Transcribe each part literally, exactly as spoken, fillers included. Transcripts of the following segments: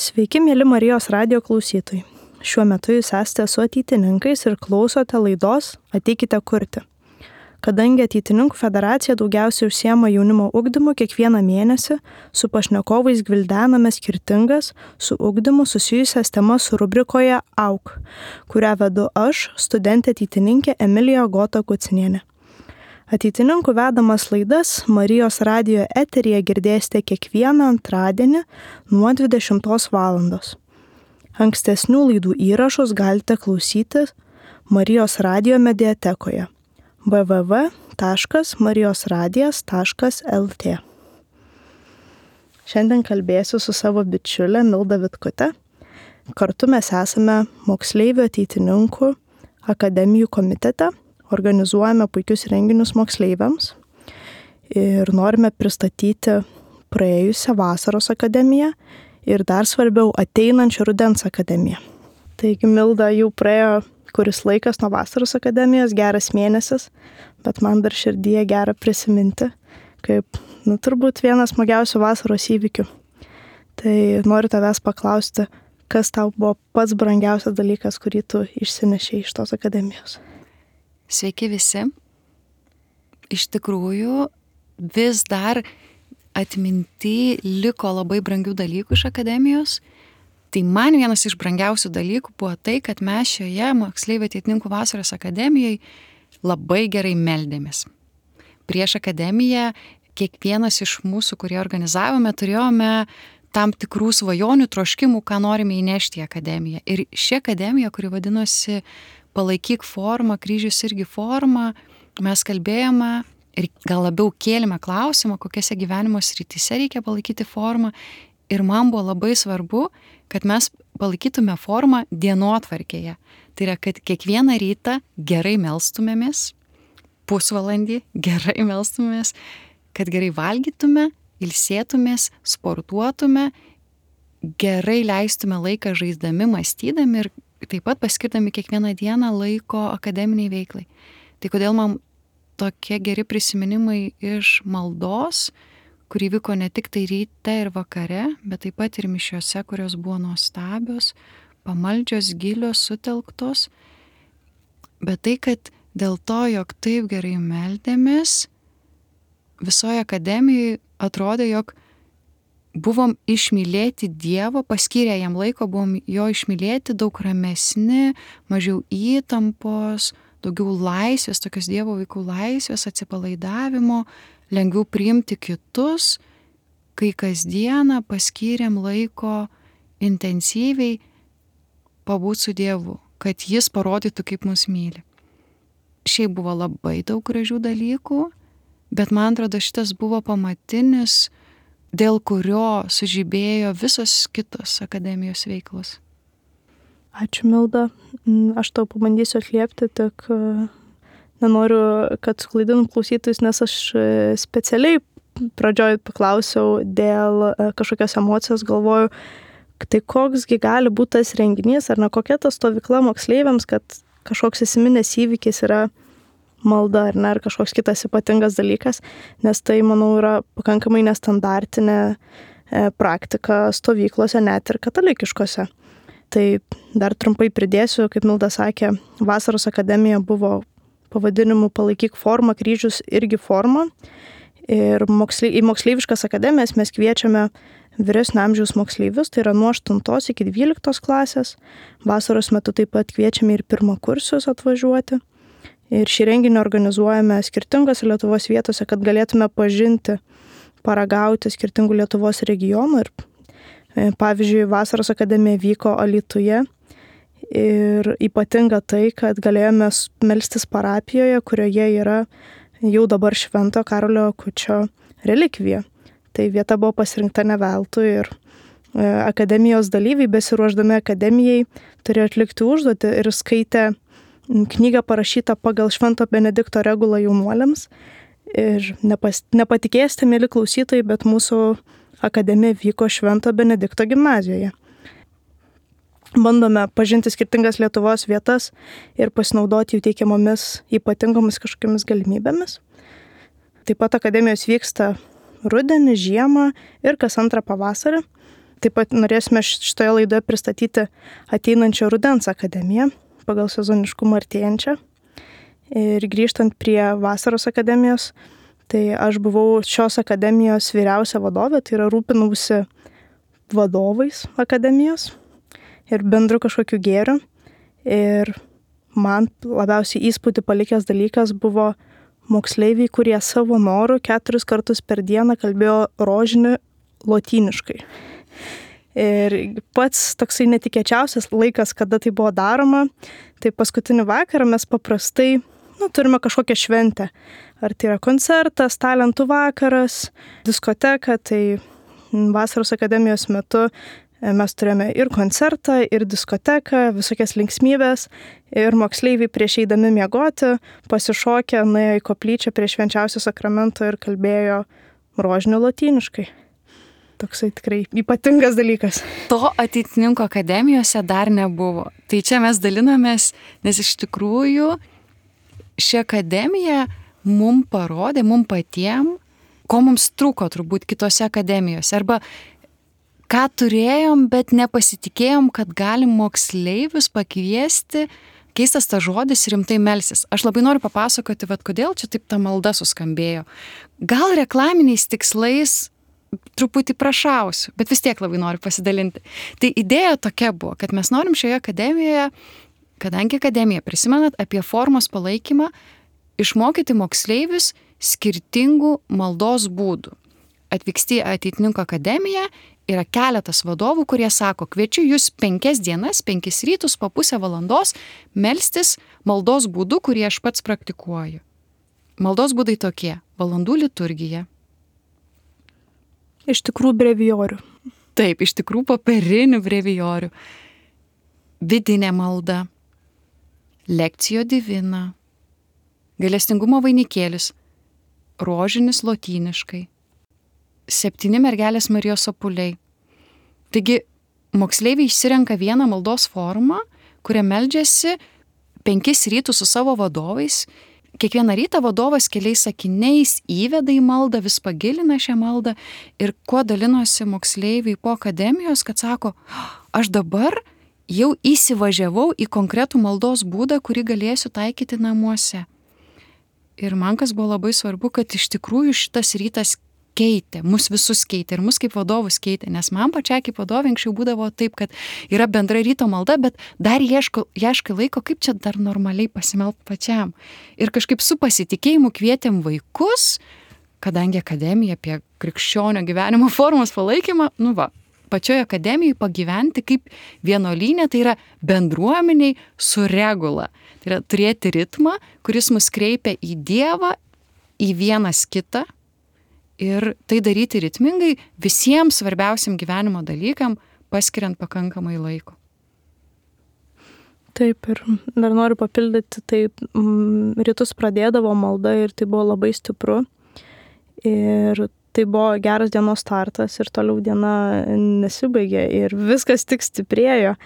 Sveiki, mėly Marijos radijo klausytojai. Šiuo metu jūs esate su ateitininkais ir klausote laidos Ateikite kurti. Kadangi Ateitininkų federacija daugiausiai užsiema jaunimo ugdymu, kiekvieną mėnesį su pašnekovais gvildename skirtingas su ugdymu susijusias temas rubrikoje Auk, kurią vedu aš, studentė ateitininkė Emilija Gota Kucinienė. Ateitininkų vedamas laidas Marijos radijo eteryje girdėsite kiekvieną antradienį nuo dvidešimtos valandos. Ankstesnių laidų įrašus galite klausyti Marijos radijo mediatekoje w w w taškas marijos radijas taškas l t. Šiandien kalbėsiu su savo bičiulė Milda Vitkute. Kartu mes esame moksleivių ateitininkų akademijų komitete, organizuojame puikius renginius moksleiviams ir norime pristatyti praėjusią vasaros akademiją ir dar svarbiau ateinančią rudens akademiją. Taigi, Milda, jau praėjo kuris laikas nuo vasaros akademijos, geras mėnesis, bet man dar širdyje gera prisiminti, kaip, nu, turbūt vienas smagiausių vasaros įvykių. Tai noriu tavęs paklausti, kas tau buvo pats brangiausias dalykas, kurį tu išsinešei iš tos akademijos? Sveiki visi. Iš tikrųjų, vis dar atminty liko labai brangių dalykų iš akademijos. Tai man vienas iš brangiausių dalykų buvo tai, kad mes šioje moksleivių ateitininkų vasaros akademijoje labai gerai meldėmės. Prieš akademiją kiekvienas iš mūsų, kurie organizavome, turėjome tam tikrų svajonių, troškimų, ką norime įnešti į akademiją. Ir ši akademija, kuri vadinosi Palaikyk formą, kryžius irgi forma, mes kalbėjome ir gal labiau kėlėme klausimą, kokiose gyvenimo srityse reikia palaikyti formą. Ir man buvo labai svarbu, kad mes palaikytume formą dienotvarkėje. Tai yra, kad kiekvieną rytą gerai melstumėmės, pusvalandį gerai melstumėmės, kad gerai valgytume, ilsėtumės, sportuotume, gerai leistume laiką žaisdami, mąstydami ir taip pat paskirdami kiekvieną dieną laiko akademiniai veiklai. Tai kodėl man tokie geri prisiminimai iš maldos, kuri vyko ne tik tai ryte ir vakare, bet taip pat ir mišiose, kurios buvo nuostabios, pamaldžios, gilios, sutelktos. Bet tai, kad dėl to, jog taip gerai meldėmės, visoje akademijoje atrodė, jog buvom išmylėti Dievo, paskyrę jam laiko, buvom jo išmylėti, daug ramesni, mažiau įtampos, daugiau laisvės, tokios Dievo vaikų laisvės, atsipalaidavimo, lengviau priimti kitus, kai kasdieną paskyrėm laiko intensyviai pabūti su Dievu, kad jis parodytų, kaip mus myli. Šiaip buvo labai daug gražių dalykų, bet man atrodo, šitas buvo pamatinis, dėl kurio sužibėjo visos kitos akademijos veiklos. Ačiū, Milda. Aš tau pabandysiu atliepti, tik nenoriu, kad suklaidinu klausytojus, nes aš specialiai pradžioj paklausiau dėl kažkokios emocijos, galvoju, tai koksgi gali būti tas renginys, ar ne kokia ta stovykla moksleiviams, kad kažkoks įsiminęs įvykis yra malda, ar ne, ar kažkoks kitas ypatingas dalykas, nes tai, manau, yra pakankamai nestandartinė e, praktika stovyklose, net ir katalikiškose. Tai dar trumpai pridėsiu, kaip Milda sakė, vasaros akademija buvo pavadinimu Palaikyk formą, kryžius irgi forma. Ir moksle, į moksleiviškas akademijas mes kviečiame vyresnio amžiaus moksleivius, tai yra nuo aštuntos iki dvyliktos klasės. Vasaros metu taip pat kviečiame ir pirmakursius atvažiuoti. Ir šį renginį organizuojame skirtingose Lietuvos vietose, kad galėtume pažinti, paragauti skirtingų Lietuvos regionų. Ir pavyzdžiui, vasaros akademija vyko Alytuje ir ypatinga tai, kad galėjome melstis parapijoje, kurioje yra jau dabar Švento Karolio Akučio relikvija. Tai vieta buvo pasirinkta ne veltui ir akademijos dalyviai, besiruošdami akademijai, turėjo atlikti užduotį ir skaitė knygą parašytą pagal Švento Benedikto regulą jaunuoliams. Ir nepas, nepatikėsite, mėly klausytojai, bet mūsų akademija vyko Švento Benedikto gimnazijoje. Bandome pažinti skirtingas Lietuvos vietas ir pasinaudoti jų teikiamomis ypatingomis kažkokiamis galimybėmis. Taip pat akademijos vyksta rudenį, žiemą ir kas antrą pavasarį. taip pat norėsime šitoje laidoje pristatyti ateinančio rudens akademiją pagal sezoniškumą artėjančią. Ir grįžtant prie vasaros akademijos, tai aš buvau šios akademijos vyriausia vadovė, tai yra rūpinausi vadovais akademijos ir bendru kažkokiu gėriu. Ir man labiausiai įspūdį palikęs dalykas buvo moksleiviai, kurie savo norų keturis kartus per dieną kalbėjo rožinį lotyniškai. Ir pats toksai netikėčiausias laikas, kada tai buvo daroma, tai paskutinį vakarą mes paprastai nu, turime kažkokią šventę. Ar tai yra koncertas, talentų vakaras, diskoteka, tai vasaros akademijos metu mes turėjome ir koncertą, ir diskoteką, visokias linksmybės, ir moksleiviai prieš eidami miegoti pasišokę, nuėjo į koplyčią prie švenčiausio sakramento ir kalbėjo rožiniu lotyniškai. Toksai tikrai ypatingas dalykas. To ateitininko akademijose dar nebuvo. Tai čia mes dalinamės, nes iš tikrųjų ši akademija mum parodė, mum patiem, ko mums trūko turbūt kitose akademijose. Arba ką turėjom, bet nepasitikėjom, kad galim moksleivius pakviesti, keistas tas žodis, rimtai melsis. Aš labai noriu papasakoti, vat, kodėl čia taip ta malda suskambėjo. Gal reklaminiais tikslais truputį prašausiu, bet vis tiek labai noriu pasidalinti. Tai idėja tokia buvo, kad mes norim šioje akademijoje, kadangi akademija, prisimenat, apie formos palaikymą, išmokyti moksleivius skirtingų maldos būdų. Atvyksti į ateitininko akademiją, yra keletas vadovų, kurie sako, kviečiu jūs penkias dienas, penkis rytus po pusę valandos melstis maldos būdų, kurį aš pats praktikuoju. Maldos būdai tokie: valandų liturgija. Iš tikrųjų brevijorių. Taip, iš tikrųjų popierinių brevijorių. Vidinė malda. Lekcijo divina. Gailestingumo vainikėlis. Rožinis lotyniškai. Septyni mergelės Marijos sopuliai. Taigi, moksleiviai išsirenka vieną maldos formą, kurią meldžiasi penkis rytus su savo vadovais. Kiekvieną rytą vadovas keliais sakiniais įveda į maldą, vis pagilina šią maldą ir kuo dalinosi moksleiviai po akademijos, kad sako, aš dabar jau įsivažiavau į konkretų maldos būdą, kurį galėsiu taikyti namuose. Ir man kas buvo labai svarbu, kad iš tikrųjų šitas rytas keitė, mus visus keitė ir mus kaip vadovus keitė, nes man pačiai kaip vadovė anksčiau būdavo taip, kad yra bendra ryto malda, bet dar ieško, ieškai laiko, kaip čia dar normaliai pasimelt pačiam. Ir kažkaip su pasitikėjimu kvietėm vaikus, kadangi akademija apie krikščionio gyvenimo formos palaikymą, nu va, pačioje akademijoje pagyventi kaip vienuolynė, tai yra bendruomeniai su regula. Tai yra turėti ritmą, kuris mus kreipia į Dievą, į vienas kitą, ir tai daryti ritmingai visiems svarbiausiam gyvenimo dalykam, paskiriant pakankamai laiko. Taip, ir dar noriu papildyti, tai mm, rytus pradėdavo malda ir tai buvo labai stipru. Ir tai buvo geras dienos startas ir toliau diena nesibaigė ir viskas tik stiprėjo,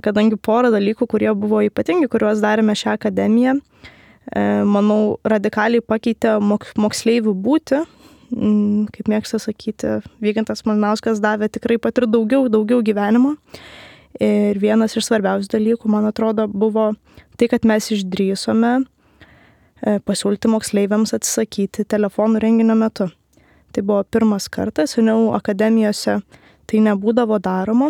kadangi porą dalykų, kurie buvo ypatingi, kuriuos darėme šią akademiją, manau, radikaliai pakeitė moksleivių būti. Kaip mėgsta sakyti, Vygantas Malinauskas davė tikrai pat ir daugiau, daugiau gyvenimo. Ir vienas iš svarbiausių dalykų, man atrodo, buvo tai, kad mes išdrįsome pasiūlyti moksleiviams atsisakyti telefonų renginio metu. Tai buvo pirmas kartas, seniau akademijose tai nebūdavo daroma,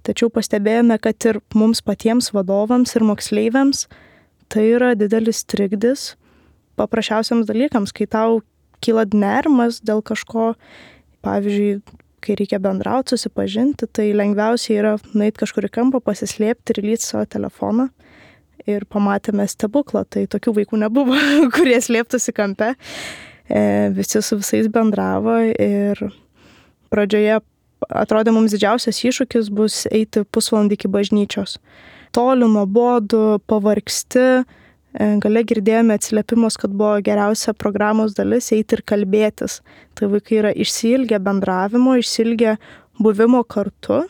tačiau pastebėjome, kad ir mums patiems vadovams ir moksleiviams tai yra didelis trikdis paprasčiausiams dalykams, kai tau kyla nerimas dėl kažko, pavyzdžiui, kai reikia bendrauti, susipažinti, tai lengviausiai yra nueiti kažkur į kampą, pasislėpti ir lyti savo telefoną. Ir pamatėme stebuklą, tai tokių vaikų nebuvo, kurie slėptųsi kampe. E, visi su visais bendravo ir pradžioje atrodė mums didžiausias iššūkis bus eiti pusvalandį iki bažnyčios. Toli, nuobodu, pavargsti. Gale girdėjome atsiliepimus, kad buvo geriausia programos dalis eiti ir kalbėtis. Tai vaikai yra išsiilgę bendravimo, išsiilgę buvimo kartu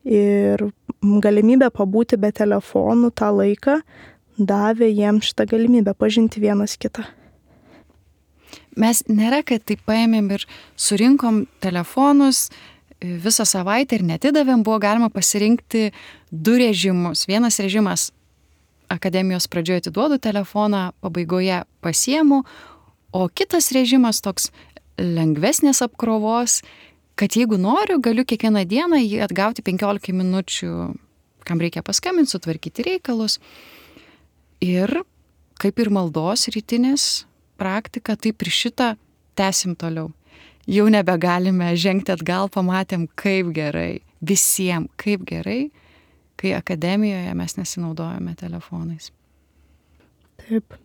ir galimybę pabūti be telefonų tą laiką davė jiems šitą galimybę pažinti vienas kitą. Mes nėra, kad taip paėmėm ir surinkom telefonus, visą savaitę ir netidavėm, buvo galima pasirinkti du režimus. Vienas režimas akademijos pradžioje atiduodu telefoną, pabaigoje pasiemu, o kitas režimas toks lengvesnės apkrovos, kad jeigu noriu, galiu kiekvieną dieną jį atgauti penkiolika minučių, kam reikia paskambinti, sutvarkyti reikalus. Ir kaip ir maldos rytinės praktika, taip ir šitą tęsim toliau. Jau nebegalime žengti atgal, pamatėm, kaip gerai, visiems kaip gerai, kai akademijoje mes nesinaudojame telefonais. Taip.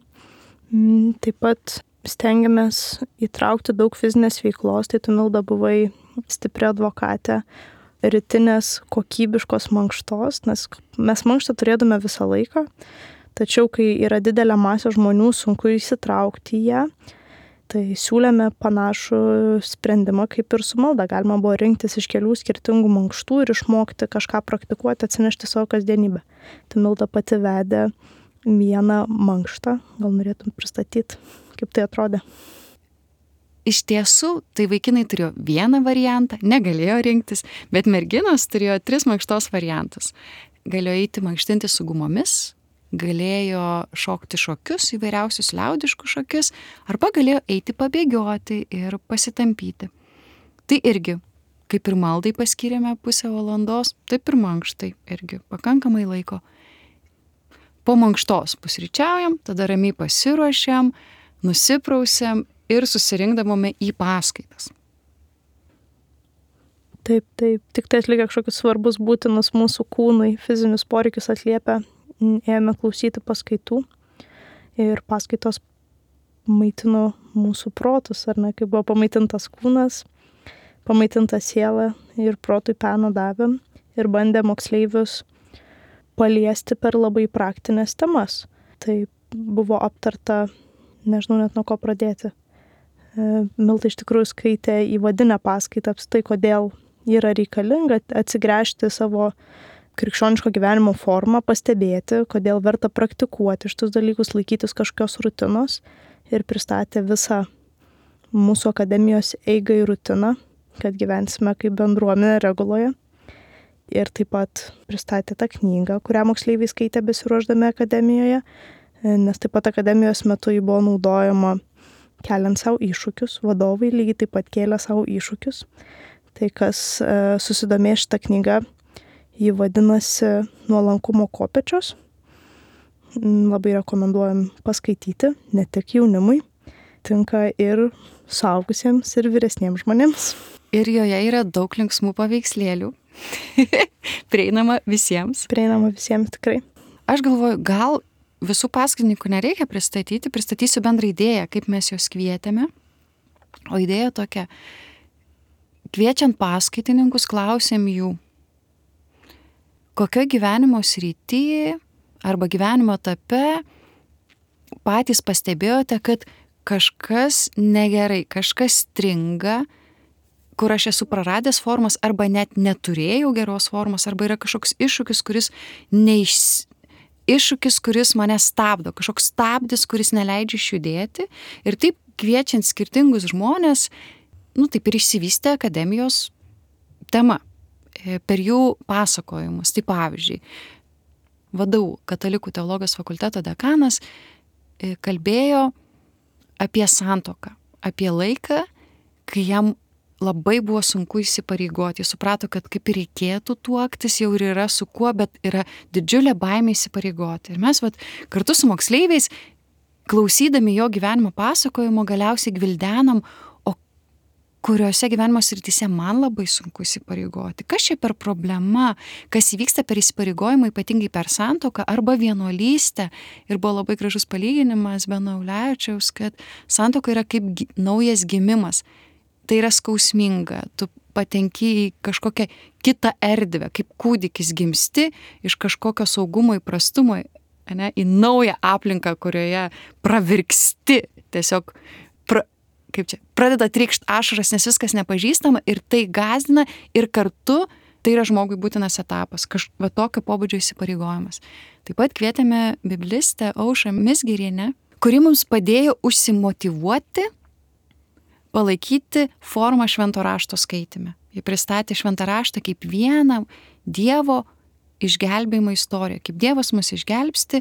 Taip pat stengiamės įtraukti daug fizinės veiklos, tai tu, Milda, buvai stipri advokatė rytinės kokybiškos mankštos, nes mes mankštą turėdame visą laiką, tačiau kai yra didelė masė žmonių, sunku įsitraukti į ją, tai siūlėme panašų sprendimą kaip ir su malda. Galima buvo rinktis iš kelių skirtingų mankštų ir išmokti kažką praktikuoti, atsinešti savo kasdienybę. Tai Milda pati vedė vieną mankštą, gal norėtum pristatyti, kaip tai atrodė? Iš tiesų, tai vaikinai turėjo vieną variantą, negalėjo rinktis, bet merginos turėjo tris mankštos variantus. Galėjo eiti mankštinti su gumomis, galėjo šokti šokius, įvairiausius liaudiškus šokius, arba galėjo eiti pabėgioti ir pasitampyti. Tai irgi, kaip ir maldai paskyrėme pusę valandos, taip ir mankštai irgi pakankamai laiko. Po mankštos pusryčiaujam, tada ramiai pasiruošiam, nusiprausiam ir susirinkdavome į paskaitas. Taip, taip, tik tai atlikę kažkokius svarbus būtinus mūsų kūnui, fizinius poreikius atliepia, ėjome klausyti paskaitų ir paskaitos maitino mūsų protus, ar ne, kai buvo pamaitintas kūnas, pamaitinta siela ir protui peno davėm ir bandė moksleivius paliesti per labai praktinės temas. Tai buvo aptarta, nežinau net nuo ko pradėti. Milda iš tikrųjų skaitė įvadinę paskaitą apstai, kodėl yra reikalinga atsigręžti savo krikščioniško gyvenimo formą, pastebėti, kodėl verta praktikuoti šitus dalykus, laikytis kažkokios rutinos ir pristatė visą mūsų akademijos eigą ir rutiną, kad gyvensime kaip bendruomenė reguloje. Ir taip pat pristatė tą knygą, kurią moksleiviai skaitė besiruošdami akademijoje, nes taip pat akademijos metu ji buvo naudojama keliant savo iššūkius, vadovai lygiai taip pat kėlė savo iššūkius. Tai kas e, susidomė šitą knygą, ji vadinasi Nuolankumo kopėčios. Labai rekomenduojam paskaityti, ne tik jaunimui, tinka ir suaugusiems ir vyresniems žmonėms. Ir joje yra daug linksmų paveikslėlių, prieinama visiems. Prieinama visiems tikrai. Aš galvoju, gal visų paskaitininkų nereikia pristatyti, pristatysiu bendrą idėją, kaip mes juos kvietėme. O idėja tokia, kviečiant paskaitininkus, klausėm jų, kokio gyvenimo srityje arba gyvenimo etape patys pastebėjote, kad kažkas negerai, kažkas stringa, kur aš esu praradęs formas arba net neturėjau geros formos, arba yra kažkoks iššūkis, kuris neiš... iššūkis, kuris mane stabdo, kažkoks stabdis, kuris neleidžia išjudėti. Ir taip kviečiant skirtingus žmonės, nu taip ir išsivystė akademijos tema per jų pasakojimus. Tai pavyzdžiui, V D U Katalikų teologijos fakulteto dekanas kalbėjo apie santuoką, apie laiką, kai jam labai buvo sunku įsipareigoti. Jis suprato, kad kaip ir reikėtų tuoktis, jau ir yra su kuo, bet yra didžiulė baimė įsipareigoti. Ir mes vat, kartu su moksleiviais, klausydami jo gyvenimo pasakojimo, galiausiai gvildenam, o kuriuose gyvenimo srityse man labai sunku įsipareigoti. Kas čia per problema, kas įvyksta per įsipareigojimą, ypatingai per santuoką arba vienuolystę. Ir buvo labai gražus palyginimas Beno Ulevičiaus, kad santuoka yra kaip gi, naujas gimimas. Tai yra skausminga, tu patenki į kažkokią kitą erdvę, kaip kūdikis gimsti iš kažkokio saugumo įprastumo, ne, į naują aplinką, kurioje pravirksti, tiesiog pra, kaip čia, pradeda trykšt ašaras, nes viskas nepažįstama ir tai gąsdina ir kartu tai yra žmogui būtinas etapas, kažkokio tokio pobūdžio įsipareigojimas. Taip pat kvietėme biblistę Aušrą Mizgirienę, kuri mums padėjo užsimotyvuoti, palaikyti formą švento rašto skaitime. Ji pristatė šventą raštą kaip vieną Dievo išgelbėjimo istoriją, kaip Dievas mus išgelbsti.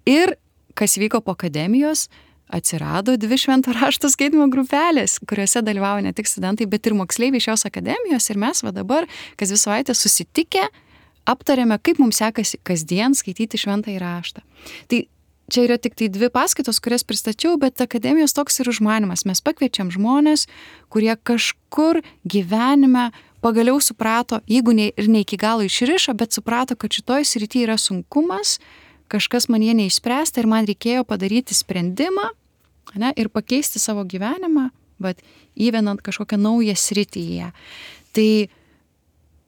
Ir kas vyko po akademijos, atsirado dvi švento rašto skaitimo grupelės, kuriuose dalyvavo ne tik studentai, bet ir moksleiviai šios akademijos. Ir mes va dabar, kas dvi savaitės susitikę, aptarėme, kaip mums sekasi kasdien skaityti šventąjį raštą. Tai čia yra tik tai dvi paskaitos, kurias pristačiau, bet akademijos toks ir užmanymas. Mes pakviečiam žmonės, kurie kažkur gyvenime pagaliau suprato, jeigu ne, ir ne iki galo išrišo, bet suprato, kad šitoj srity yra sunkumas, kažkas man jie neišspręsta ir man reikėjo padaryti sprendimą, ne, ir pakeisti savo gyvenimą, bet įvenant kažkokią naują sritį į ją. Tai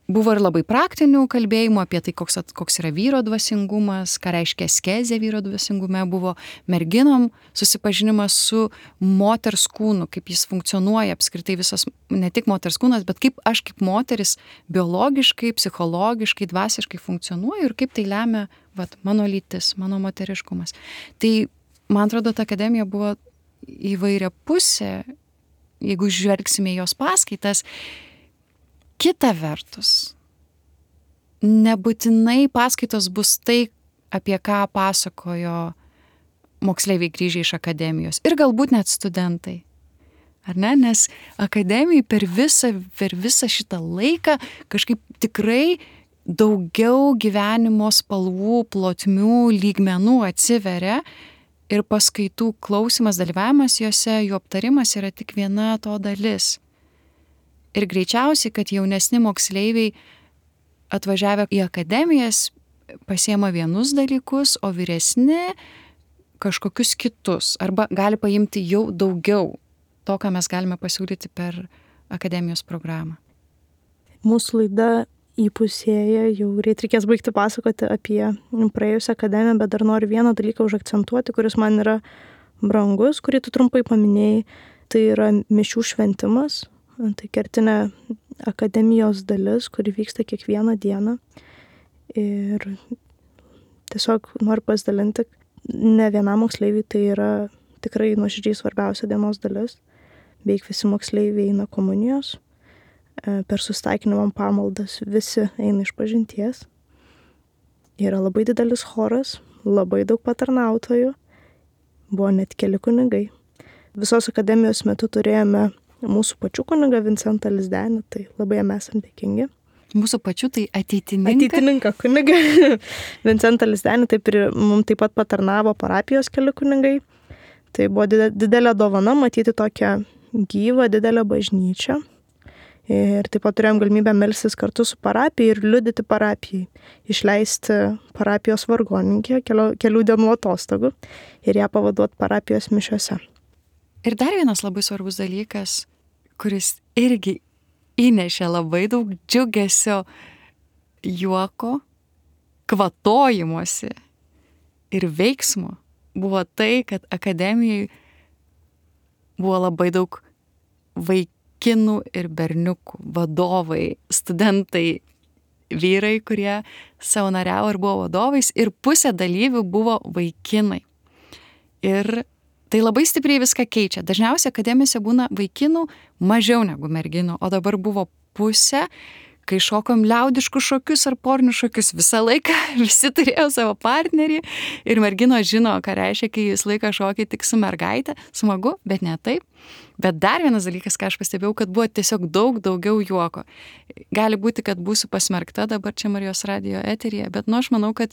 buvo ir labai praktinių kalbėjimų apie tai, koks, koks yra vyro dvasingumas, ką reiškia askezė vyro dvasingume, buvo merginom susipažinimas su moters kūnu, kaip jis funkcionuoja apskritai visas, ne tik moters kūnas, bet kaip aš kaip moteris biologiškai, psichologiškai, dvasiškai funkcionuoju ir kaip tai lemia vat, mano lytis, mano moteriškumas. Tai, man atrodo, ta akademija buvo įvairia pusė, jeigu žvelgsime jos paskaitas. Kita vertus, nebūtinai paskaitos bus tai, apie ką pasakojo moksleiviai grįžę iš akademijos ir galbūt net studentai. Ar ne? Nes akademijai per visą, per visą šitą laiką kažkaip tikrai daugiau gyvenimo spalvų, plotmių, lygmenų atsiveria ir paskaitų klausimas, dalyvavimas juose, jų aptarimas yra tik viena to dalis. Ir greičiausiai, kad jaunesni moksleiviai atvažiavę į akademijas pasiema vienus dalykus, o vyresni kažkokius kitus. Arba gali paimti jau daugiau to, ką mes galime pasiūlyti per akademijos programą. Mūsų laida įpusėja, jau greit reikės baigti pasakoti apie praėjusią akademiją, bet dar noriu vieną dalyką užakcentuoti, kuris man yra brangus, kurį tu trumpai paminėjai. Tai yra mišių šventimas. Tai kertinė akademijos dalis, kuri vyksta kiekvieną dieną. Ir tiesiog noriu pasidalinti, ne vienam moksleiviui tai yra tikrai nuoširdžiai svarbiausia dienos dalis. Beveik visi moksleiviai eina komunijos, per susitaikinimo pamaldas visi eina iš pažinties. Yra labai didelis choras, labai daug patarnautojų, buvo net keli kunigai. Visos akademijos metu turėjome mūsų pačių kunigą Vincentą Lizdenį, tai labai jam esam dėkingi. Mūsų pačių tai ateitininką? Ateitininką kunigą Vincentą Lizdenį, taip ir mums taip pat patarnavo parapijos keli kunigai. Tai buvo didelė dovana matyti tokią gyvą, didelę bažnyčią. Ir taip pat turėjom galimybę melstis kartu su parapijai ir liudyti parapijai, išleisti parapijos vargonininkę kelių, kelių dienų atostogų ir ją pavaduoti parapijos mišiose. Ir dar vienas labai svarbus dalykas, kuris irgi įnešė labai daug džiugesio, juoko, kvatojimosi ir veiksmo, buvo tai, kad akademijai buvo labai daug vaikinų ir berniukų, vadovai, studentai, vyrai, kurie savanoriavo ir buvo vadovais, ir pusė dalyvių buvo vaikinai. Ir tai labai stipriai viską keičia. Dažniausiai akademijose būna vaikinų mažiau negu merginų, o dabar buvo pusė, kai šokom liaudiškus šokius ar porinius šokius. Visą laiką visi turėjo savo partnerį ir merginos žino, ką reiškia, kai jūs laiką šokiai tik su mergaitė. Smagu, bet ne taip. Bet dar vienas dalykas, ką aš pastebėjau, kad buvo tiesiog daug daugiau juoko. Gali būti, kad būsiu pasmerkta dabar čia Marijos radijo eteryje, bet nu aš manau, kad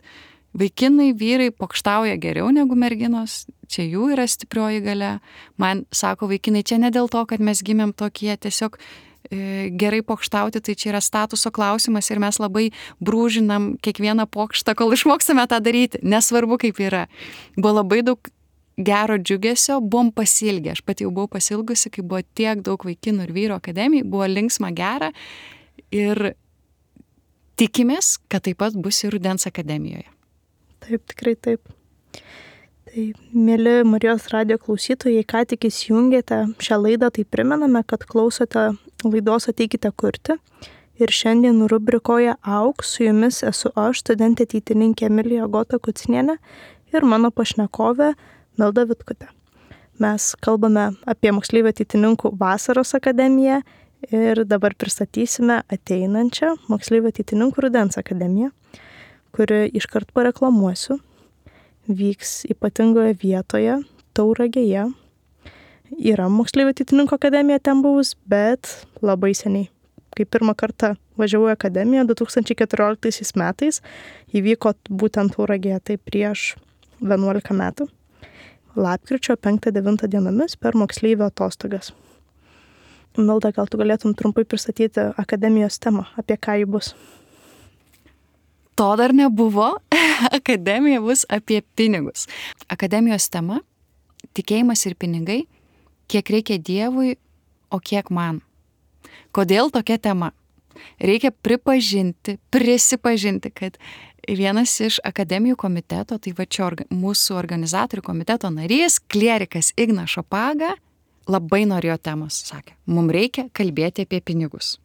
vaikinai, vyrai pokštauja geriau negu merginos, čia jų yra stiprioji galia. Man sako vaikinai, čia ne dėl to, kad mes gimėm tokie, tiesiog e, gerai pokštauti, tai čia yra statuso klausimas ir mes labai brūžinam kiekvieną pokštą, kol išmoksime tą daryti. Nesvarbu, kaip yra. Buvo labai daug gero džiugesio, buvom pasilgę. Aš pati jau buvau pasilgusi, kai buvo tiek daug vaikinų ir vyro akademijai, buvo linksma, gera ir tikimės, kad taip pat bus ir rudens akademijoje. Taip, tikrai taip. Tai, mėly Marijos radijo klausytojai, ką tik įsijungėte šią laidą, tai primename, kad klausote laidos Ateikite kurti. Ir šiandien rubrikoje Auk su jumis esu aš, studentė ateitininkė Emilija Agota Kucinienė ir mano pašnekovė Milda Vitkutė. Mes kalbame apie moksleivių ateitininkų vasaros akademiją Ir dabar pristatysime ateinančią moksleivių ateitininkų rudens akademiją, kuri iškart pareklamuosiu. Vyks ypatingoje vietoje, Tauragėje. Yra moksleivių ateitininkų akademija ten buvus, bet labai seniai. Kai pirmą kartą važiavau į akademiją du tūkstančiai keturioliktaisiais metais, įvyko būtent Tauragėje, tai prieš vienuolika metų. Lapkričio penktą devintą dienomis per moksleivių atostogas. Milda, gal tu galėtum trumpai pristatyti akademijos temą, apie ką ji bus? To dar nebuvo. Akademija bus apie pinigus. Akademijos tema – tikėjimas ir pinigai, kiek reikia Dievui, o kiek man. Kodėl tokia tema? Reikia pripažinti, prisipažinti, kad vienas iš akademijų komiteto, tai va čia orga, mūsų organizatorių komiteto narys, klierikas Ignas Šapaga, labai norėjo temos, sakė, mums reikia kalbėti apie pinigus.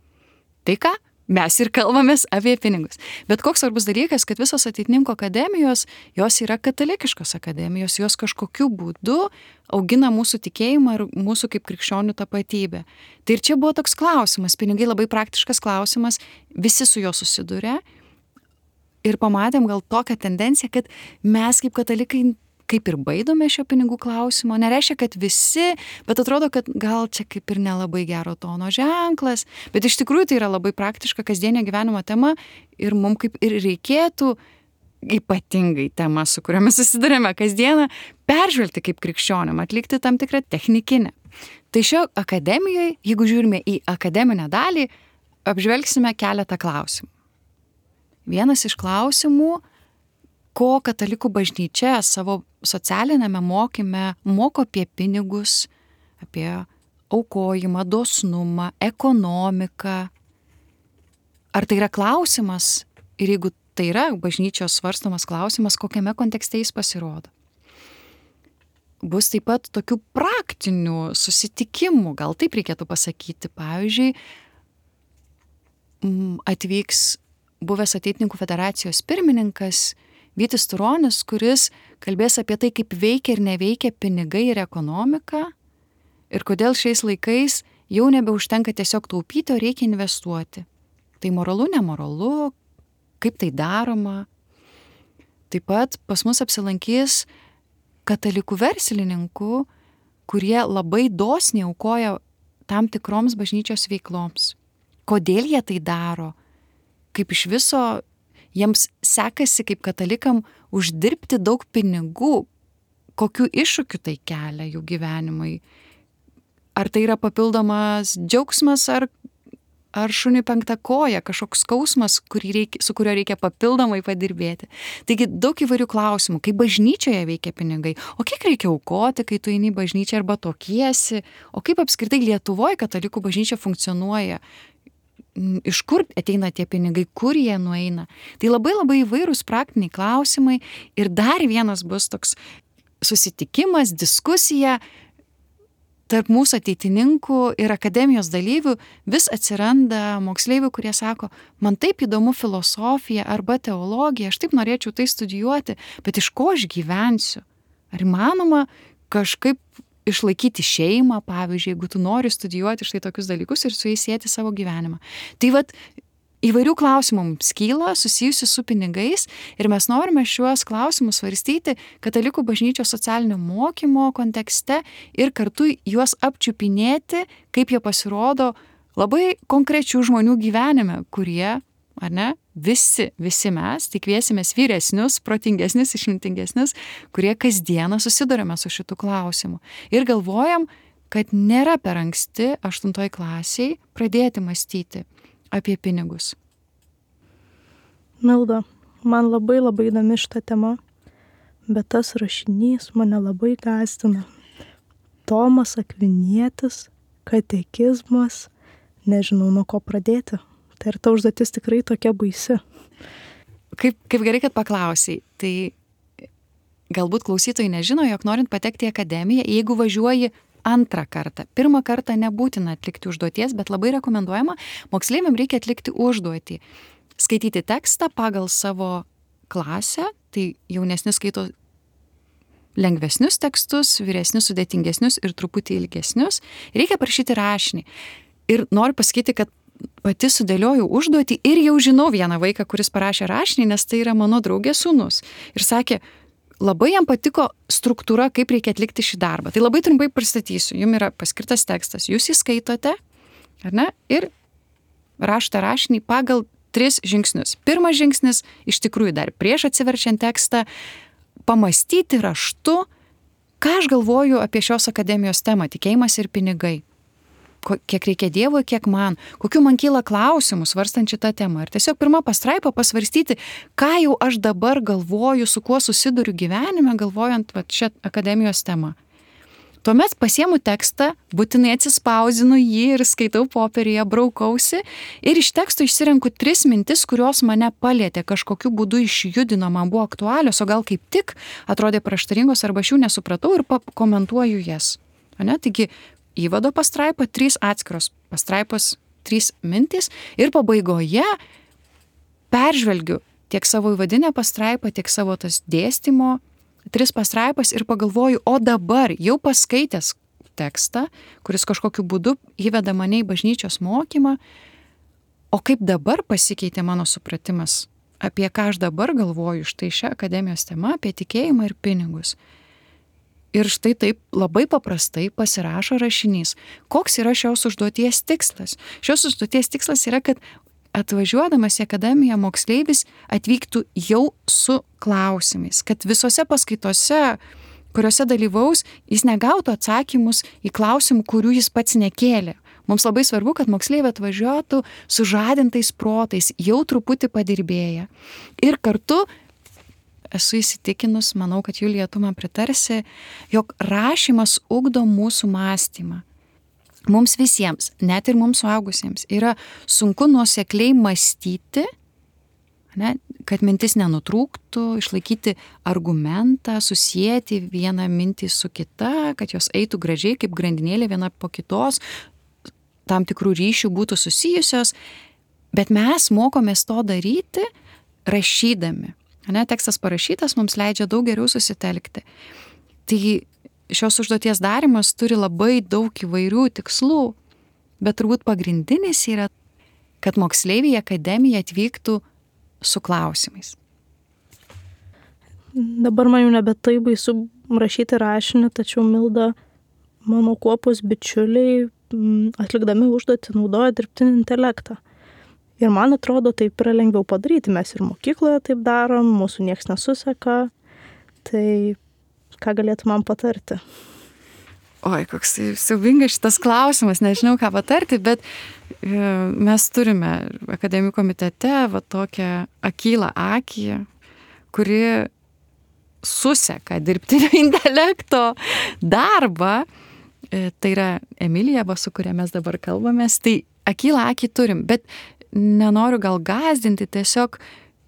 Tai ką? Mes ir kalbamės apie pinigus. Bet koks svarbus dalykas, kad visos ateitininkų akademijos, jos yra katalikiškos akademijos, jos kažkokiu būdu augina mūsų tikėjimą ir mūsų kaip krikščionių tapatybę. Tai ir čia buvo toks klausimas, pinigai labai praktiškas klausimas, visi su juo susiduria ir pamatėm gal tokią tendenciją, kad mes kaip katalikai kaip ir baidome šio pinigų klausimo, nereiškia, kad visi, bet atrodo, kad gal čia kaip ir nelabai gero tono ženklas, bet iš tikrųjų tai yra labai praktiška kasdienio gyvenimo tema ir mums kaip ir reikėtų ypatingai tema, su kuriomis susidurėme kasdieną, peržvelgti kaip krikščionim, atlikti tam tikrą technikinę. Tai šio akademijoje, jeigu žiūrime į akademinę dalį, apžvelgsime keletą klausimų. Vienas iš klausimų, ko katalikų bažnyčia savo socialinėme mokyme moko apie pinigus, apie aukojimą, dosnumą, ekonomiką. Ar tai yra klausimas ir jeigu tai yra bažnyčios svarstomas klausimas, kokiame kontekste jis pasirodo? Bus taip pat tokių praktinių susitikimų, gal taip reikėtų pasakyti. Pavyzdžiui, atvyks buvęs Ateitininkų federacijos pirmininkas Vytis Turonis, kuris kalbės apie tai, kaip veikia ir neveikia pinigai ir ekonomika ir kodėl šiais laikais jau nebeužtenka tiesiog taupyti, o reikia investuoti. Tai moralu, nemoralu, kaip tai daroma. Taip pat pas mus apsilankys katalikų verslininkų, kurie labai dosniai aukoja tam tikroms bažnyčios veikloms. Kodėl jie tai daro? Kaip iš viso jiems sekasi kaip katalikam uždirbti daug pinigų, kokių iššūkių tai kelia jų gyvenimui. Ar tai yra papildomas džiaugsmas, ar, ar šuniui penkta koja, kažkoks skausmas, reikia, su kurio reikia papildomai padirbėti. Taigi daug įvairių klausimų, kaip bažnyčioje veikia pinigai, o kiek reikia aukoti, kai tu eini į bažnyčią arba tokiesi, o kaip apskritai Lietuvoje katalikų bažnyčia funkcionuoja. Iš kur ateina tie pinigai, kur jie nueina. Tai labai labai įvairūs praktiniai klausimai ir dar vienas bus toks susitikimas, diskusija tarp mūsų ateitininkų ir akademijos dalyvių. Vis atsiranda moksleivių, kurie sako, man taip įdomu filosofija arba teologija, aš taip norėčiau tai studijuoti, bet iš ko aš gyvensiu? Ar įmanoma kažkaip išlaikyti šeimą, pavyzdžiui, jeigu tu nori studijuoti štai tokius dalykus ir su jais sieti savo gyvenimą. Tai vat įvairių klausimų mums kyla susijusių su pinigais ir mes norime šiuos klausimus svarstyti katalikų bažnyčios socialinio mokymo kontekste ir kartu juos apčiupinėti, kaip jie pasirodo labai konkrečių žmonių gyvenime, kurie, ar ne, visi, visi mes, tik kviesimės vyresnius, protingesnius, išmintingesnius, kurie kasdieną susidurime su šitų klausimų. Ir galvojam, kad nėra per anksti aštuntoj klasiai pradėti mąstyti apie pinigus. Milda, man labai labai įdomi šita tema, bet tas rašinys mane labai gąsdina. Tomas Akvinietis, katekizmas, nežinau nuo ko pradėti. Tai ir ta užduotis tikrai tokia baisi. Kaip, kaip gerai, kad paklausai. Tai galbūt klausytojai nežino, jog norint patekti į akademiją, jeigu važiuoji antrą kartą. Pirmą kartą nebūtina atlikti užduoties, bet labai rekomenduojama, moksleiviam reikia atlikti užduotį. Skaityti tekstą pagal savo klasę, tai jaunesni skaito lengvesnius tekstus, vyresnius sudėtingesnius ir truputį ilgesnius. Reikia parašyti rašinį. Ir noriu pasakyti, kad pati sudėliojau užduotį ir jau žinau vieną vaiką, kuris parašė rašinį, nes tai yra mano draugės sūnus. Ir sakė, labai jam patiko struktūra, kaip reikia atlikti šį darbą. Tai labai trumpai pristatysiu. Jums yra paskirtas tekstas, jūs įskaitote, ar ne? Ir rašote rašinį pagal tris žingsnius. Pirmas žingsnis, iš tikrųjų dar prieš atsiverčiant tekstą, pamastyti raštu, ką aš galvoju apie šios akademijos temą, tikėjimas ir pinigai. Kiek reikia Dievui, kiek man, kokiu man kyla klausimų svarstant šitą temą. Ir tiesiog pirmą pastraipą pasvarstyti, ką jau aš dabar galvoju, su kuo susiduriu gyvenime, galvojant va, šią akademijos temą. Tuomet pasiemu tekstą, būtinai atsispausinu jį ir skaitau popieryje, braukausi ir iš teksto išsirenku tris mintis, kurios mane palietė, kažkokiu būdu išjudino, man buvo aktualios, o gal kaip tik atrodė prieštaringos arba aš jų nesupratau ir pakomentuoju jas. Ane? Taigi, įvado pastraipa, trys atskiros pastraipos, trys mintys ir pabaigoje peržvelgiu tiek savo įvadinę pastraipą, tiek savo tas dėstymo, tris pastraipas ir pagalvoju, o dabar jau paskaitęs tekstą, kuris kažkokiu būdu įveda mane į bažnyčios mokymą, o kaip dabar pasikeitė mano supratimas, apie ką aš dabar galvoju štai šią akademijos temą, apie tikėjimą ir pinigus. Ir štai taip labai paprastai pasirašo rašinys. Koks yra šios užduoties tikslas? Šios užduoties tikslas yra, kad atvažiuodamas į akademiją moksleivis atvyktų jau su klausimais, kad visose paskaitose, kuriuose dalyvaus, jis negautų atsakymus į klausimų, kurių jis pats nekėlė. Mums labai svarbu, kad moksleiviai atvažiuotų su žadintais protais, jau truputį padirbėję. Ir kartu esu įsitikinus, manau, kad Julija, tu man pritarsi, jog rašymas ugdo mūsų mąstymą. Mums visiems, net ir mums suaugusiems, yra sunku nuosekliai mąstyti, ne, kad mintis nenutrūktų, išlaikyti argumentą, susijęti vieną mintį su kita, kad jos eitų gražiai kaip grandinėlė viena po kitos, tam tikrų ryšių būtų susijusios, bet mes mokomės to daryti rašydami. Ne, tekstas parašytas mums leidžia daug geriau susitelkti. Tai šios užduoties darimas turi labai daug įvairių tikslų, bet turbūt pagrindinis yra, kad moksleiviai į akademiją atvyktų su klausimais. Dabar man jau nebe taip baisu rašyti rašinį, tačiau Milda, mano kuopos bičiuliai, atlikdami užduotį naudoja dirbtinį intelektą. Ir man atrodo, taip yra lengviau padaryti. Mes ir mokykloje taip darom, mūsų nieks nesuseka. Tai ką galėtų man patarti? Oi, koks siaubingas šitas klausimas, nežinau ką patarti, bet mes turime akademijų komitete va tokią akylą akį, kuri suseka dirbtinio intelekto darbą. Tai yra Emilija, su kuria mes dabar kalbamės. Tai akylą akį turim, bet nenoriu gal gąsdinti, tiesiog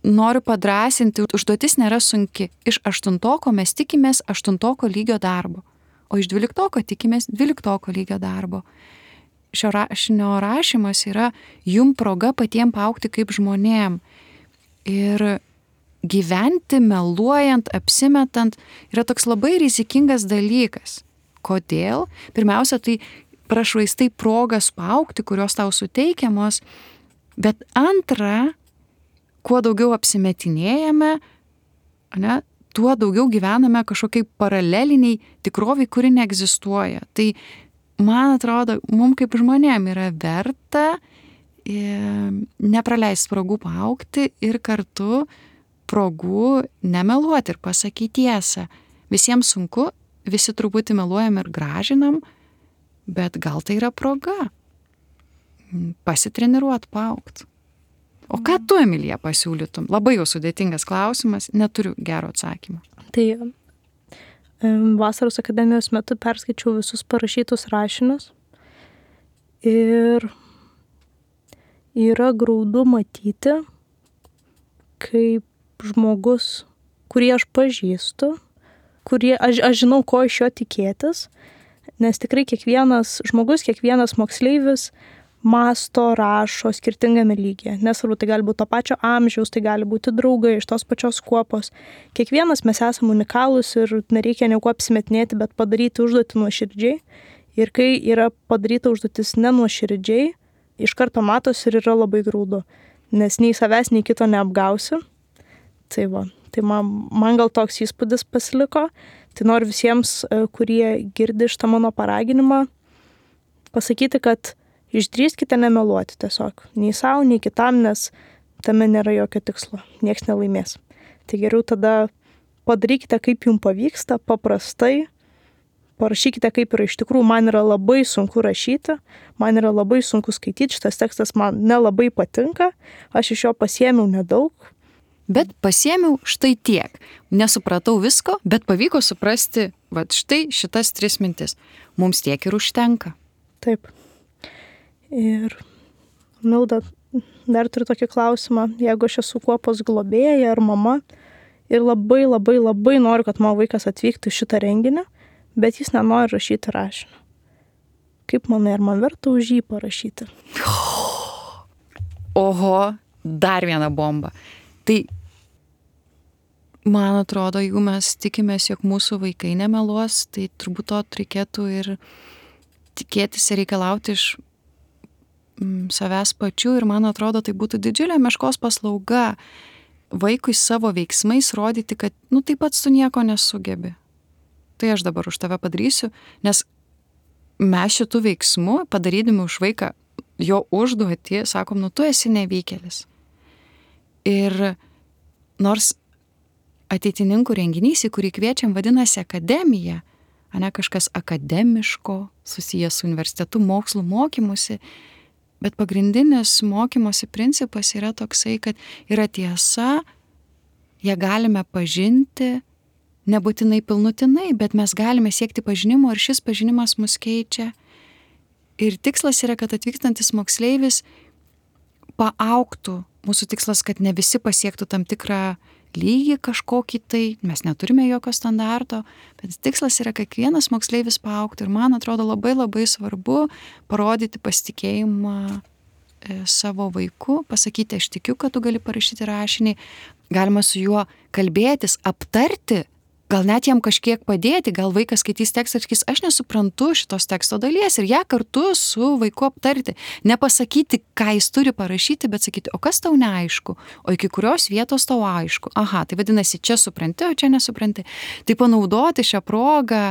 noriu padrasinti, užduotis nėra sunki. Iš aštuntoko mes tikimės aštuntoko lygio darbo, o iš dvyliktoko tikimės dvyliktoko lygio darbo. Šio rašinio rašymas yra jum proga patiem paaugti kaip žmonėm. Ir gyventi meluojant, apsimetant yra toks labai rizikingas dalykas. Kodėl? Pirmiausia, tai prašvaistai progas paaugti, kurios tau suteikiamos. Bet antra, kuo daugiau apsimetinėjame, ne, tuo daugiau gyvename kažkokiai paraleliniai tikroviai, kuri neegzistuoja. Tai, man atrodo, mums kaip žmonėm yra verta e, nepraleisti progų paaugti ir kartu progų nemeluoti ir pasakyti tiesą. Visiems sunku, visi truputį meluojam ir gražinam, bet gal tai yra proga pasitreniruot, paaugt. O ką tu, Emilija, pasiūlytum? Labai jau sudėtingas klausimas, neturiu gero atsakymą. Tai vasaros akademijos metu perskaičiau visus parašytus rašinius ir yra graudu matyti, kaip žmogus, kurį aš pažįstu, kurį aš, aš žinau, ko iš jo tikėtis, nes tikrai kiekvienas žmogus, kiekvienas moksleivis masto, rašo skirtingame lygyje. Nesvarbu, tai gali būti to pačio amžiaus, tai gali būti draugai iš tos pačios kuopos. Kiekvienas mes esame unikalūs ir nereikia nieko apsimetinėti, bet padaryti užduotį nuoširdžiai Ir kai yra padaryta užduotis nenuoširdžiai, iš karto matosi ir yra labai grūdu, nes nei savęs, nei kito neapgausi. Tai va, tai man, man gal toks įspūdis pasiliko. Tai noriu visiems, kurie girdi šitą mano paraginimą, pasakyti, kad išdrįskite nemeluoti tiesiog. Nei savo, nei kitam, nes tame nėra jokio tikslo. Niekas nelaimės. Tai geriau tada padarykite, kaip jums pavyksta, paprastai. Parašykite, kaip yra iš tikrųjų. Man yra labai sunku rašyti, man yra labai sunku skaityti, šitas tekstas man nelabai patinka, aš iš jo pasiėmiau nedaug. Bet pasiėmiau štai tiek. Nesupratau visko, bet pavyko suprasti, va štai šitas tris mintis. Mums tiek ir užtenka. Taip. Ir Milda, dar turiu tokį klausimą. Jeigu aš esu kuopos globėja ar mama ir labai, labai, labai noriu, kad mano vaikas atvyktų į šitą renginį, bet jis nenori rašyti rašinio. Kaip manai, ar man verta už jį parašyti? Oho, dar viena bomba. Tai, man atrodo, jeigu mes tikimės, jog mūsų vaikai nemeluos, tai turbūt to reikėtų ir tikėtis ir reikalauti iš mm, savęs pačių. Ir man atrodo, tai būtų didžiulė meškos paslauga vaikui savo veiksmais rodyti, kad, nu, taip pat tu nieko nesugebi. Tai aš dabar už tave padarysiu, nes mes šitų veiksmų, padarydami už vaiką jo užduotį, sakom, nu tu esi nevykėlis. Ir nors ateitininkų renginys, į kurį kviečiam, vadinasi akademija, ane kažkas akademiško, susijęs su universitetu, mokslu, mokymusi, bet pagrindinis mokymosi principas yra toksai, kad yra tiesa, ją galime pažinti, nebūtinai pilnutinai, bet mes galime siekti pažinimo ir šis pažinimas mus keičia. Ir tikslas yra, kad atvykstantis moksleivis paaugtų. Mūsų tikslas, kad ne visi pasiektų tam tikrą lygį kažkokį tai, mes neturime jokio standarto, bet tikslas yra, kad kiekvienas moksleivis paaugtų. Ir man atrodo labai labai svarbu parodyti pasitikėjimą e, savo vaiku, pasakyti, aš tikiu, kad tu gali parašyti rašinį, galima su juo kalbėtis, aptarti, gal net jam kažkiek padėti, gal vaikas skaitys tekstą ir sakys, aš nesuprantu šitos teksto dalies ir ją kartu su vaiku aptarti. Nepasakyti, ką jis turi parašyti, bet sakyti, o kas tau neaišku, o iki kurios vietos tau aišku. Aha, tai vadinasi, čia supranti, o čia nesupranti. Tai panaudoti šią progą,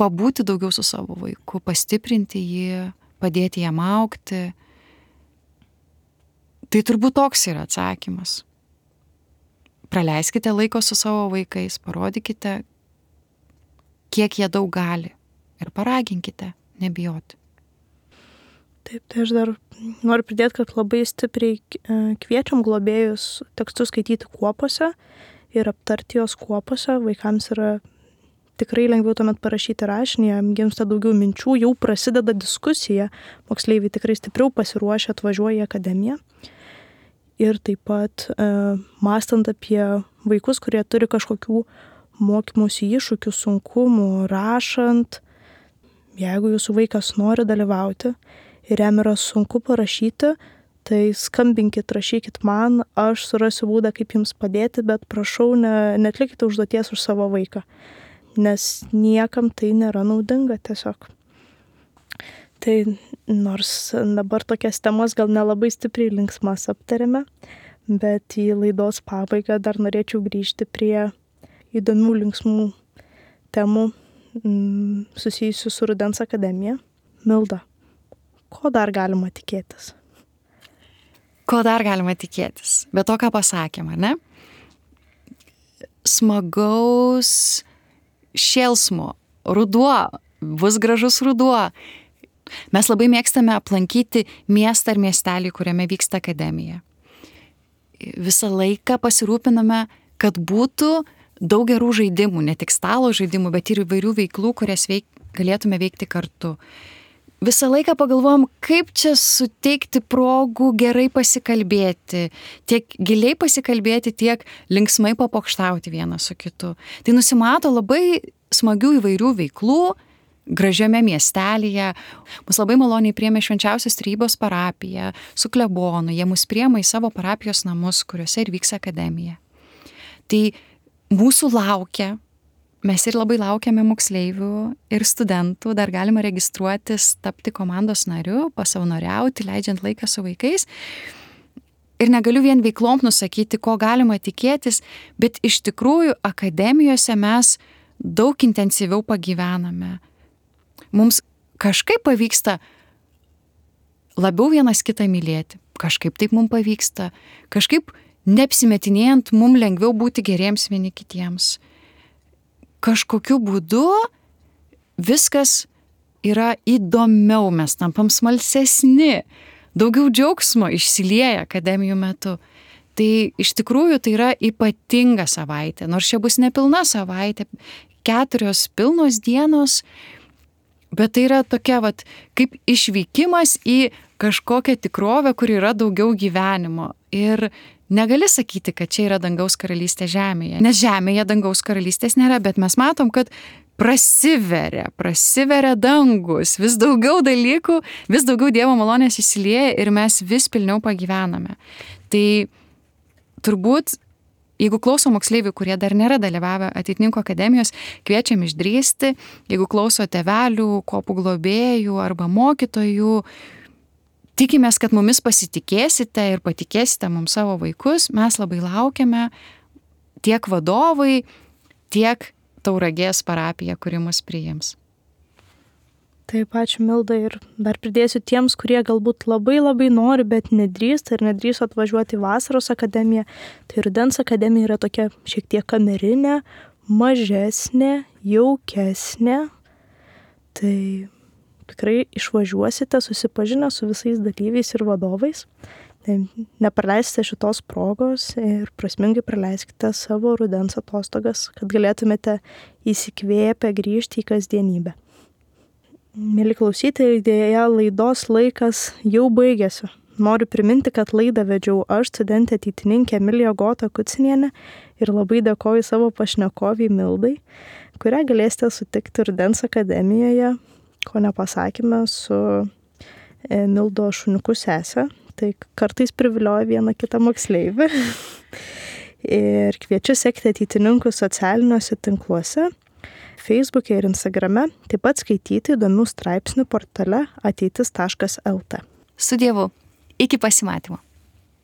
pabūti daugiau su savo vaiku, pastiprinti jį, padėti jam augti. Tai turbūt toks yra atsakymas. Praleiskite laiko su savo vaikais, parodykite, kiek jie daug gali ir paraginkite, nebijoti. Taip, tai aš dar noriu pridėti, kad labai stipriai kviečiam globėjus tekstus skaityti kuopose ir aptarti jos kuopose. Vaikams yra tikrai lengviau tuomet parašyti rašinį, jam gimsta daugiau minčių, jau prasideda diskusija, moksleiviai tikrai stipriau pasiruošę atvažiuoja į akademiją. Ir taip pat e, mąstant apie vaikus, kurie turi kažkokių mokymosi iššūkių, sunkumų, rašant, jeigu jūsų vaikas nori dalyvauti ir jam yra sunku parašyti, tai skambinkit, rašykit man, aš surasiu būdą, kaip jums padėti, bet prašau, ne, netlikite užduoties už savo vaiką, nes niekam tai nėra naudinga tiesiog. Tai nors dabar tokias temas gal nelabai stipriai linksmas aptarėme, bet į laidos pabaigą dar norėčiau grįžti prie įdomių linksmų temų m, susijusių su Rudens akademija. Milda, ko dar galima tikėtis? Ko dar galima tikėtis? Bet to, ką pasakėm, ar ne? Smagaus šėlsmo, ruduo, bus gražus ruduo. Mes labai mėgstame aplankyti miestą ar miestelį, kuriame vyksta akademija. Visą laiką pasirūpiname, kad būtų daug gerų žaidimų, ne tik stalo žaidimų, bet ir įvairių veiklų, kurias veik, galėtume veikti kartu. Visą laiką pagalvojom, kaip čia suteikti progų gerai pasikalbėti, tiek giliai pasikalbėti, tiek linksmai papokštauti vienas su kitu. Tai nusimato labai smagių įvairių veiklų, gražiame miestelėje. Mus labai maloniai priėmė Švenčiausios Trejybės parapija su klebonu. Jie mus priėmė į savo parapijos namus, kuriuose ir vyks akademija. Tai mūsų laukia mes ir labai laukiame moksleivių ir studentų, dar galima registruotis, tapti komandos nariu, pasavanoriauti, leidžiant laiką su vaikais. Ir negaliu vien veiklom nusakyti, ko galima tikėtis, bet iš tikrųjų akademijose mes daug intensyviau pagyvename. Mums kažkaip pavyksta labiau vienas kitą mylėti. Kažkaip taip mums pavyksta. Kažkaip neapsimetinėjant mums lengviau būti geriems vieni kitiems. Kažkokiu būdu viskas yra įdomiau, mes tampam smalsesni. Daugiau džiaugsmo išsilieja akademijų metu. Tai iš tikrųjų tai yra ypatinga savaitė. Nors čia bus nepilna savaitė, keturios pilnos dienos, bet tai yra tokia vat, kaip išvykimas į kažkokią tikrovę, kur yra daugiau gyvenimo. Ir negali sakyti, kad čia yra dangaus karalystė žemėje. Nes žemėje dangaus karalystės nėra, bet mes matom, kad prasiveria, prasiveria dangus, vis daugiau dalykų, vis daugiau Dievo malonės įsilieja ir mes vis pilniau pagyvename. Tai turbūt, jeigu klauso moksleivių, kurie dar nėra dalyvavę Ateitininkų akademijos, kviečiam išdrįsti, jeigu klauso tėvelių, kopų globėjų arba mokytojų, tikimės, kad mumis pasitikėsite ir patikėsite mums savo vaikus, mes labai laukiame tiek vadovai, tiek Tauragės parapija, kuri mus priims. Taip, ačiū Milda ir dar pridėsiu tiems, kurie galbūt labai labai nori, bet nedrįsta ir nedrįsta atvažiuoti į vasaros akademiją. Tai rudens akademija yra tokia šiek tiek kamerinė, mažesnė, jaukesnė. Tai tikrai išvažiuosite susipažinę su visais dalyviais ir vadovais. Tai nepraleisite šitos progos ir prasmingai praleiskite savo rudens atostogas, kad galėtumėte įsikvėpę grįžti į kasdienybę. Mėly klausytojai, dėja laidos laikas jau baigėsi. Noriu priminti, kad laidą vedžiau aš, studentė ateitininkė Emilija Gota Kucinienė ir labai dėkoju savo pašnekoviai Mildai, kurią galėsite sutikti rudens akademijoje, ko nepasakėme, su Mildo šuniuku sesė. Tai kartais privilioja vieną kitą moksleivį. Ir kviečiu sekti Ateitininkų socialiniuose tinkluose, Facebook'e ir Instagrame, taip pat skaityti įdomių straipsnių portale ateitis taškas lt. Su Dievu. Iki pasimatymo.